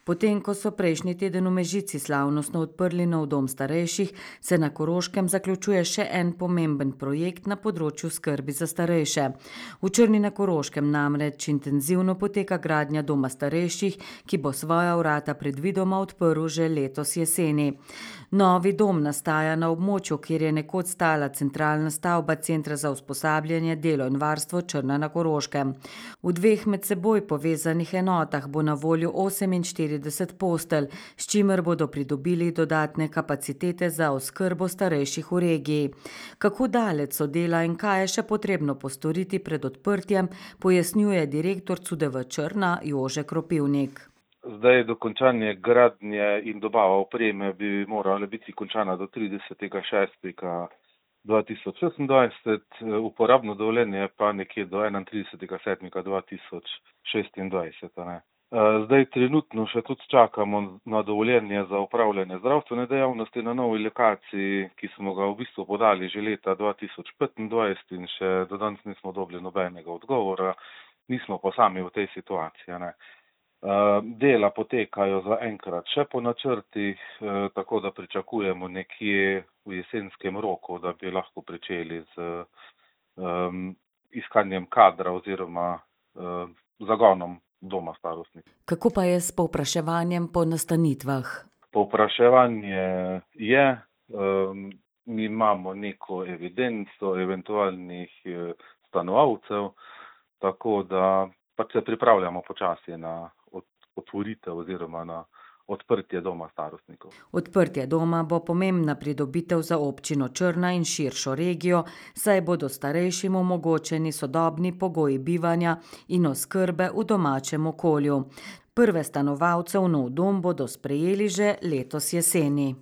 Potem, ko so prejšnji teden v Mežici slavnostno odprli nov dom starejših, se na Koroškem zaključuje še en pomemben projekt na področju skrbi za starejše. V Črni na Koroškem namreč intenzivno poteka gradnja doma starejših, ki bo svoja vrata predvidoma odprl že letos jeseni. Novi dom nastaja na območju, kjer je nekoč stala centralna stavba Centra za usposabljanje, delo in varstvo Črna na Koroškem. V dveh med seboj povezanih enotah bo na voljo 48 postelj, s čimer bodo pridobili dodatne kapacitete za oskrbo starejših v regiji. Kako daleč so dela in kaj je še potrebno postoriti pred odprtjem, pojasnjuje direktor CUDV Črna Jože Kropivnik. Zdaj dokončanje gradnje in dobava opreme bi morala biti končana do 30.6.2026, uporabno dovoljenje pa nekje do 31.7.2026. Zdaj trenutno še tudi čakamo na dovoljenje za upravljanje zdravstvene dejavnosti na novi lokaciji, ki smo ga v bistvu podali že leta 2025 in še do danes nismo dobili nobenega odgovora, nismo pa sami v tej situaciji. Dela potekajo zaenkrat še po načrtih, tako da pričakujemo nekje v jesenskem roku, da bi lahko pričeli z iskanjem kadra oziroma zagonom doma starostnih. Kako pa je s povpraševanjem po nastanitvah? Povpraševanje je, mi imamo neko evidenco eventualnih stanovalcev, tako da pač se pripravljamo počasi na otvoritev oziroma na odprtje doma starostnikov. Odprtje doma bo pomembna pridobitev za občino Črna in širšo regijo, saj bodo starejšim omogočeni sodobni pogoji bivanja in oskrbe v domačem okolju. Prve stanovalce v nov dom bodo sprejeli že letos jeseni.